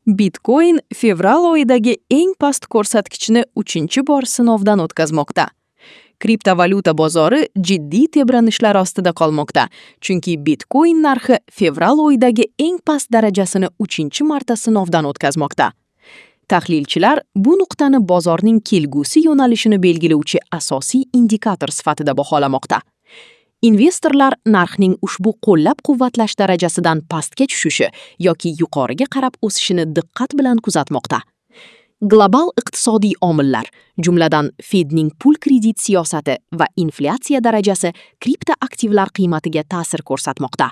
Bitcoin fevral oyidagi eng past ko'rsatkichni 3-bor sinovdan o'tkazmoqda. Kriptovalyuta bozori jiddiy tebranishlar ostida qolmoqda, chunki Bitcoin narxi fevral oyidagi eng past darajasini 3-marta sinovdan o'tkazmoqda. Tahlilchilar bu nuqtani bozorning kelgusi yo'nalishini belgilovchi asosiy indikator sifatida baholamoqda. Investorlar narxning ushbu qo'llab-quvvatlash darajasidan pastga tushishi yoki yuqoriga qarab o'sishini diqqat bilan kuzatmoqda. Global iqtisodiy omillar, jumladan Fedning pul-kredit siyosati va inflyatsiya darajasi kriptoaktivlar qiymatiga ta'sir ko'rsatmoqda.